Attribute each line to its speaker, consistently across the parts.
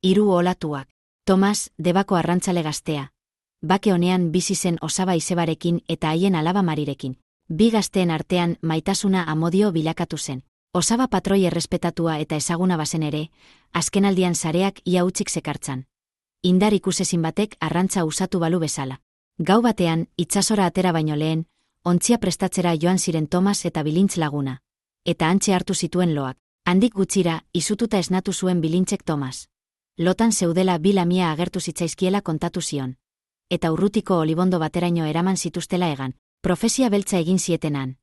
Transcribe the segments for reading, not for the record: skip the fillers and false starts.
Speaker 1: Hiru olatuak. Tomas, Debako arrantzale gaztea. Bake honean bizi zen osaba izebarekin eta haien alaba Marirekin. Bi gazteen artean maitasuna amodio bilakatu zen. Osaba patroi errespetatua eta ezaguna bazen ere, azkenaldian sareak ia hutsik zekartzan. Indar ikusezin batek arrantza usatu balu bezala. Gau batean, itsasora atera baino lehen, ontzia prestatzera joan ziren Tomas eta Bilintz laguna. Eta hantxe hartu zituen loak. Handik gutxira, izututa esnatu zuen Bilintzek Tomas. Lotan zeudela bi lamia agertu zitzaizkiela kontatu zion. Eta urrutiko olibondo bateraino eraman zituztela egan, profesia beltza egin zietenan.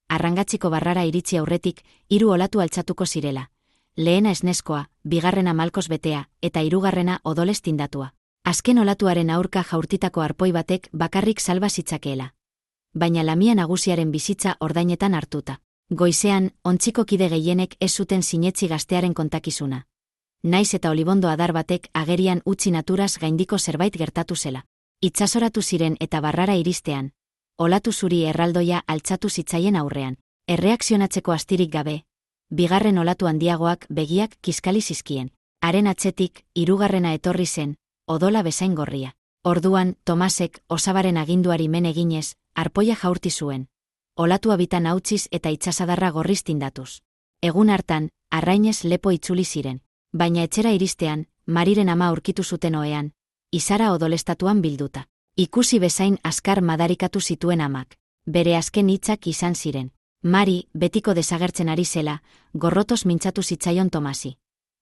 Speaker 1: Arrangatziko barrara iritzi aurretik, 3 olatu altzatuko zirela. Lehena esneskoa, bigarrena malkoz betea, eta 3. odolez tindatua. Azken olatuaren aurka jaurtitako arpoi batek bakarrik salba zitzakeela. Baina lamia nagusiaren bizitza ordainetan hartuta. Goizean, ontziko kide gehienek ez zuten sinetzi gaztearen kontakizuna. Naiz eta olibondo adar batek agerian utzi naturaz gaindiko zerbait gertatu zela. Itsasoratu ziren eta barrara iristean. Olatu zuri erraldoia altzatu zitzaien aurrean. Erreakzionatzeko astirik gabe. Bigarren olatu handiagoak begiak kiskali zizkien. Haren atzetik, 3. etorri zen, odola bezain gorria. Orduan, Tomasek, osabaren aginduari men eginez, arpoia jaurti zuen. Olatua bitan hautziz eta itsasadarra gorriz tindatuz. Egun hartan, arrainez lepo itzuli ziren. Baina etxera iristean, Mariren ama aurkitu zuten ohean, izara odolestatuan bilduta. Ikusi bezain azkar madarikatu zituen amak. Bere azken hitzak izan ziren. Mari, betiko desagertzen ari zela, gorrotoz mintzatu zitzaion Tomasi.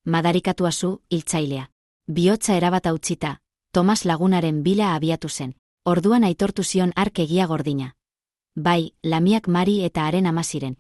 Speaker 1: Madarikatua zu, hiltzailea. Bihotza erabat hautsita, Tomas lagunaren bila abiatu zen. Orduan aitortu zion hark egia gordina. Bai, lamiak Mari eta haren ama ziren.